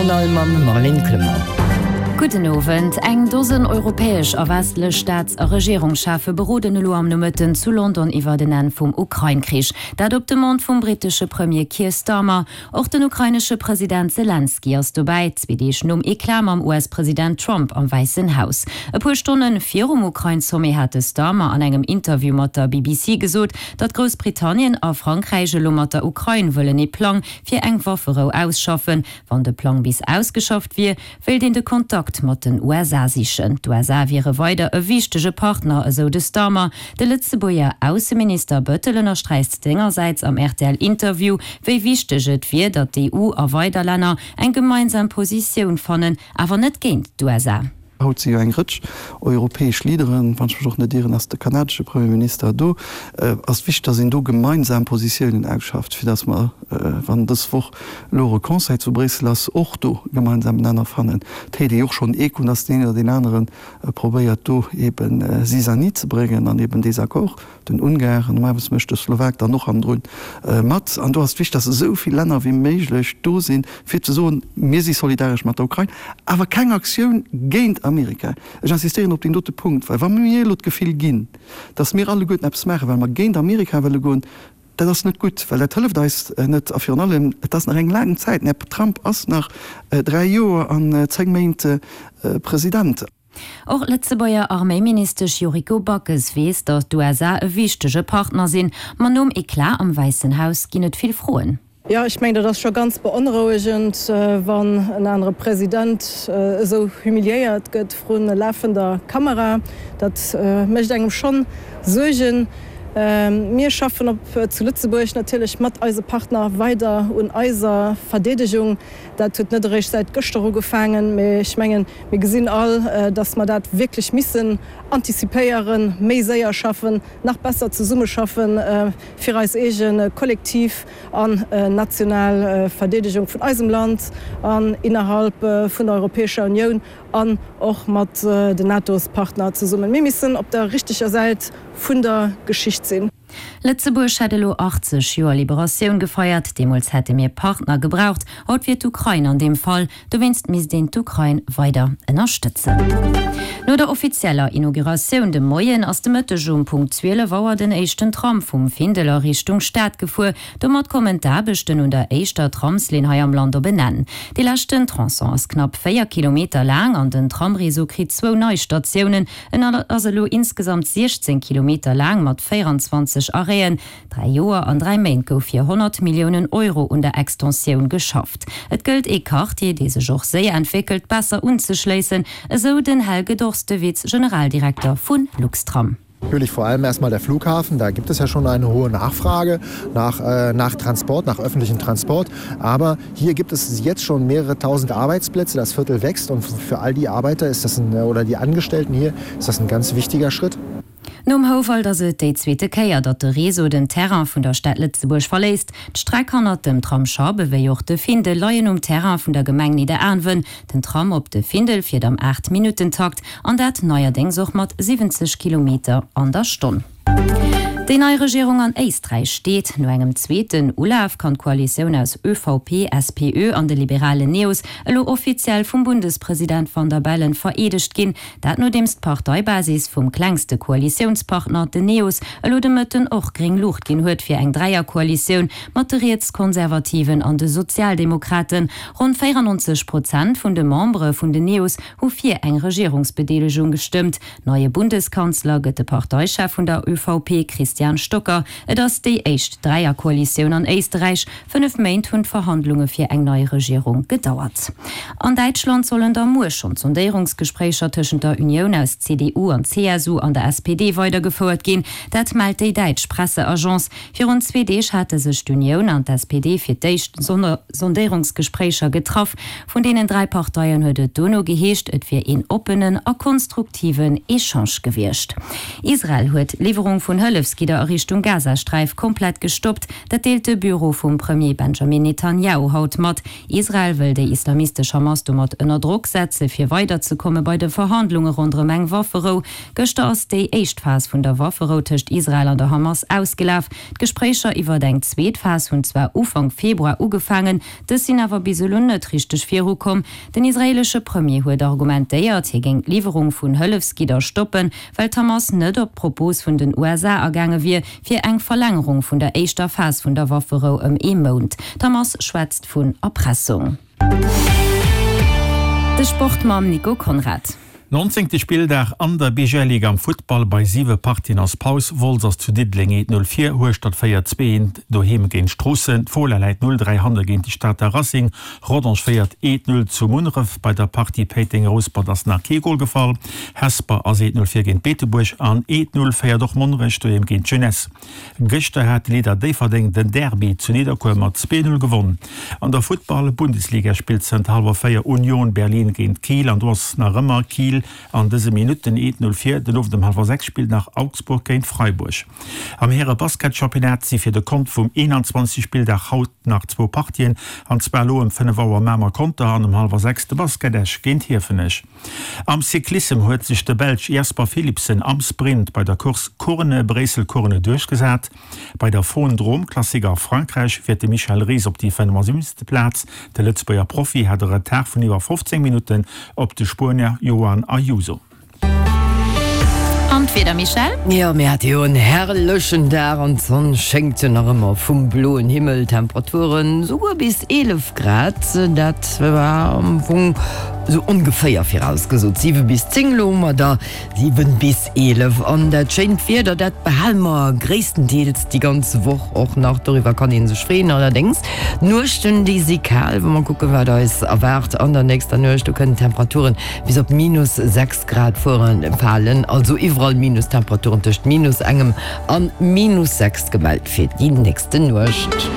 Journal mam Marlène Clement. Gudden Owend. Eng Dosen europäesch a westlech Staats a Regierungscheffe beroden elo am Nomëtten zu London iwwert en Enn vum Ukrain-Krich. Dat op Demande vum brittesche Premier Keir Starmer. Och den ukrainesche President Selenskyj ass dobäi, zwee Deeg nom Eclat mam US-President Trump am Wäissen Haus. E puer Stonne virum Ukrain-Sommet hat de Starmer an engem Interview mat der BBC gesot, datt Groussbritannien a Frankräich elo mat der Ukrain wëllen ee Plang fir eng Wafferou ausschaffen. Wann de Plang bis ausgeschafft wier, wéilt een de Kontakt mat den USA sichen. D'USA wiere weider e wichtege Partner, esou de Starmer. De Lëtzebuerger Ausseminister Bëttel ënnersträicht sengersäits am RTL-Interview, wéi wichteg et wier, datt d'EU a weider Länner eng gemeinsam Positioun fannen, awer net géint d'USA. Haut si jo eng Rëtsch europäesch Leaderen, wann ech mech och net ieren, ass de kanadesche Premierminister do. Ass wichteg, datt een do gemeinsam Positiounen ausschafft, fir datt mer, wann dës Woch elo och e Conseil zu Bréissel ass, och do gemeinsam Nenner fannen. Et héiert ee jo och schonn Echoen, datt deen een oder deen anere probéiert do eebe Zizanie ze bréngen an eeben Désaccord. Den Ungar, normalerweis mécht de Slowak dann och hannendrun mat. An do ass et wichteg, datt esou vill Länner wéi méiglech do sinn, fir ze soen, mir si solidaresch mat der Ukrain, awer keng Aktioun géint Amerika. Ech insistéieren op deen dote Punkt, well wa mir elo d'Gefill ginn, datt mir alleguerten eppes maachen, well mer géint Amerika wëlle goen, dat ass net gutt, well dat hëlleft eis net. A virun allem, et ass nach eng laang Zäit, den Här Trump ass nach 3 Joer an 10 Méint President. Och d'Lëtzebuerger Arméiministesch Yuriko Backes weess, datt d'USA e wichtege Partner sinn. Ma nom Eclat am Wäissen Haus ginn et vill Froen. Jo, ech mengen, dat ass scho ganz beonrouegend, wann en anere President esou humiliéiert gëtt vru lafender Kamera. Dat mécht engem schonn Suergen. Mir schaffen op zu Lëtzebuerg natierlech mat eise Partner weider un eiser Verdeedegung. Dat huet net eréischt säit gëschter ugefaangen, mee ech mengen, mir gesinn all, dass mer dat wierklech missen antizipéieren, méi séier schaffen, nach besser zesummeschaffen, fir eis eege kollektiv an national Verdeedegung vun eisem Land an innerhalb vun der Europäescher Unioun an och mat den NATO-s-Partner zesummen. Mir missen op der richteger Säit vun der Geschicht sinn. Lëtzebuerg hätt elo 80 Joer Liberatioun gefeiert. Deemools hätte mir Partner gebraucht. Haut wier d'Ukrain an deem Fall. Dowéinst misst een d'Ukrain weider ënnerstëtzen. No der offizieller Inauguratioun de Moien ass de Mëtteg um Punkt 12 Auer den éischten Tram vum Findel a Richtung Stad gefuer. Domat kommen d'Aarbechten un der éischter Tramslinn hei am Land op en Enn. Dee leschten Tronçon ass knapp 4 Kilometer laang an den Tramreseau kritt zwou nei Statiounen. En ass elo insgesamt 16 Kilometer laang mat 24 Arrêten. Dräi Joer an dräi Méint gouf fir 100 Milliounen Euro un der Extensioun geschafft. Et gëllt ee Quartier, dee sech och séier entwéckelt, besser unzeschléissen, esou den Helge Dorstewitz, Generaldirekter vu Luxtram. Natürlich vor allem erstmal der Flughafen, da gibt es ja schon eine hohe Nachfrage nach, äh, nach Transport, nach öffentlichen Transport. Aber hier gibt es jetzt schon mehrere tausend Arbeitsplätze, das Viertel wächst und für all die Arbeiter ist das ein, oder die Angestellten hier ist das ein ganz wichtiger Schritt. Nom Houwald ass et déi zweete Kéier, datt de Réseau den Terrain vun der Stad Lëtzebuerg verléisst. D'Streck hannert dem Tram Schabe wéi och de Findel leien um Terrain vun der Gemeng Nidderaanwen. Den Tram op de Findel fiert am 8 Minutten-Takt an dat neierdéngs och mat 70 Kilometer an der Stonn. Déi nei Regierung an Éisträich steet. No engem zweeten Ulaf kann d'Koalitioun aus ÖVP, SPÖ an de liberalen Neos elo offiziell vum Bundespresident Van der Bellen vereedegt ginn. Dat nodeems d'Parteibasis vum klengste Koalitiounspartner, den Neos, elo de Mëtten och gréng Luucht ginn huet fir eng Dräierkoalitioun mat de Rietskonservativen an de Sozialdemokraten. Ronn 94 Prozent vun de Membere vun den Neos hu fir eng Regierungsbedeelegung gestëmmt. Neie Bundeskanzler gëtt de Parteichef vun der ÖVP, Christian Stocker. Et ass déi éischt Dräierkoalitioun an Éisterräich. 5 Méint hunn d'Verhandlunge fir eng nei Regierung gedauert. An Däitschland sollen da muer schonn d'Sondéierungsgespréicher tëschent der Unioun aus CDU an CSU an der SPD weidergefouert ginn. Dat mellt déi däitsch Presseagence. Virun zwee Deeg hate sech d'Unioun an d'SPD fir d'éischt Sondéierungsgespréicher getraff. Vun deenen 3 Parteien huet et dono geheescht, et wier een oppenen a konstruktiven Echange gewiescht. Israel huet d'Liwwerung vun Hëllefsgidder. Hëllefsgidder a Richtung Gazasträif komplett gestoppt. Dat deelt de Büro vum Premier Benjamin Netanjahu haut mat. Israel wëll déi islamistesch Hamas domat ënner Drock setze fir weiderzekomme bei de Verhandlunge ronderëm eng Wafferou. Gëschter ass déi éischt Phas vun der Wafferou tëscht Israel an der Hamas ausgelaf. D'Gespréicher iwwert eng zweet Phas hunn zwar Ufank Februar ugefaangen, dës sinn awer bis elo net richteg virukomm. Den israeelesche Premier huet argumentéiert, hie géing d'Liwwerung vun Hëllefsgidder stoppen, well d'Hamas net op d'Propos vun den USA agaange wier, fir eng Verlängerung vun der éischter Phas vun der Wafferou ëm ee Mount. D'Hamas schwätzt vun Erpressung. De Sport mam Nico Conrad. Nonzéngte Spilldag an der BGL-Liga am Futtball, Bei 7 Partien ass Paus. Wolz ass zu Diddeleng 1, 0 vir, Hueschtert féiert 2, 1 doheem géint Stroossen, d'Fola läit 0, 3 hanne géint de Stater Racing, Rodange féiert 1, 0 zu Munneref. Bei der Partie Péiteng-Rouspert ass nach kee Gol gefall. Hesper ass 1, 0 vir géint Beetebuerg an 1, 0 féiert och Monnerech doheem géint d'Jeunesse. Gëschter hat de Leader Déifferdeng den Derby zu Nidderkuer mat 2, 0 gewonn. An der Futtball-Bundesliga spillt zënter hallwer 4 Union Berlin géint Kiel an do ass nach ëmmer Kiel an dëse Minutten 1, 0 vir. Den Owend um hallwer 6 spillt nach Augsburg géint Freiburg. Am Häre-Basketchampionnat si fir de Kont vum 21. Spilldag haut nach zwou Partien, an zwar elo ëm 5 Auer Mamer-Conter an um hallwer 6 de Basket Esch géint Hiefenech. Am Cyclissem huet sech de Belsch Jasper Philipsen am Sprint bei der Course Kuurne-Bréissel-Kuurne duerchgesat. Bei der Faun-Drôme-Classic a Frankräich fiert de Michel Ries op déi 75. Plaz. De Lëtzebuerger Profi hat e Retard vun iwwer 15 Minutten op de Spuenier Joan Ayuso. An d'Wieder, Michèle? Jo, mir hate jo en herrlechen Dag an d'Sonn schéngt jo nach ëmmer vum bloen Himmel. Temperaturen souguer bis 11 Grad, dat war am Fong sou ongeféier virausgesot 7 bis 10, elo hu mer der 7 bis 11. An dat schéint Wieder, dat behale mer gréisstendeels déi ganz Woch och nach, doriwwer kann ee sech freeën. Allerdéngs, d'Nuechten, déi si kal. Wa mer kucken, wat eis erwaart an der nächster Nuecht, do kënnen d'Temperaturen bis op minus 6 Grad fueren, falen, also iwwerall Minustemperaturen tëscht minus engem an minus 6 gemellt fir déi nächste Nuecht.